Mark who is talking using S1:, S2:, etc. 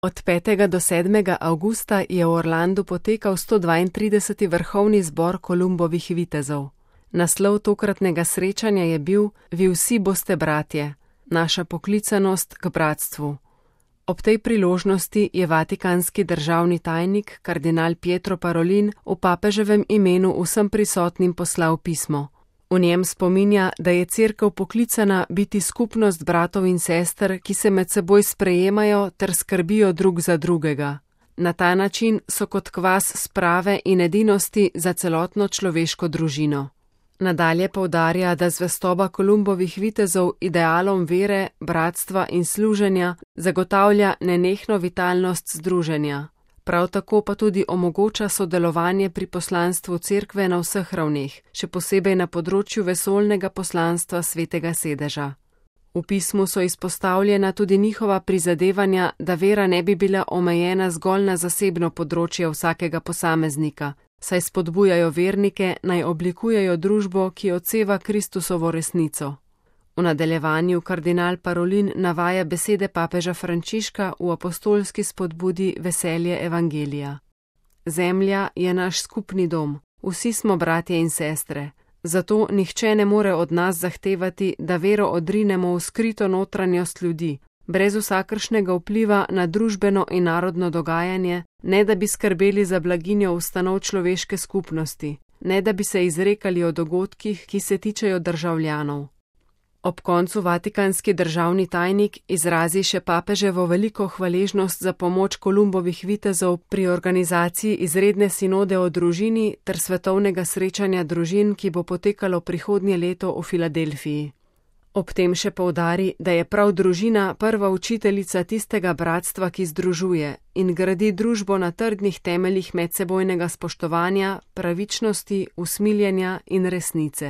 S1: Od 5. do 7. avgusta je v Orlandu potekal 132. vrhovni zbor Kolumbovih vitezov. Naslov tokratnega srečanja je bil Vi vsi boste bratje, naša poklicanost k bratstvu. Ob tej priložnosti je vatikanski državni tajnik, kardinal Pietro Parolin, v papeževem imenu vsem prisotnim poslal pismo. V njem spominja, da je Cerkev poklicana biti skupnost bratov in sester, ki se med seboj sprejemajo ter skrbijo drug za drugega. Na ta način so kot kvas sprave in edinosti za celotno človeško družino. Nadalje poudarja, da zvestoba Kolumbovih vitezov idealom vere, bratstva in služenja zagotavlja nenehno vitalnost združenja. Prav tako pa tudi omogoča sodelovanje pri poslanstvu Cerkve na vseh ravneh, še posebej na področju vesoljnega poslanstva Svetega sedeža. V pismu so izpostavljena tudi njihova prizadevanja, da vera ne bi bila omejena zgolj na zasebno področje vsakega posameznika, saj spodbujajo vernike, naj oblikujejo družbo, ki odseva Kristusovo resnico. V nadaljevanju kardinal Parolin navaja besede papeža Frančiška v apostolski spodbudi Veselje evangelija. Zemlja je naš skupni dom, vsi smo bratje in sestre, zato nihče ne more od nas zahtevati, da vero odrinemo v skrito notranjost ljudi, brez vsakršnega vpliva na družbeno in narodno dogajanje, ne da bi skrbeli za blaginjo ustanov človeške skupnosti, ne da bi se izrekali o dogodkih, ki se tičejo državljanov. Ob koncu vatikanski državni tajnik izrazi še papeževo veliko hvaležnost za pomoč Kolumbovih vitezov pri organizaciji izredne sinode o družini ter svetovnega srečanja družin, ki bo potekalo prihodnje leto v Filadelfiji. Ob tem še poudari, da je prav družina prva učiteljica tistega bratstva, ki združuje in gradi družbo na trdnih temeljih medsebojnega spoštovanja, pravičnosti, usmiljenja in resnice.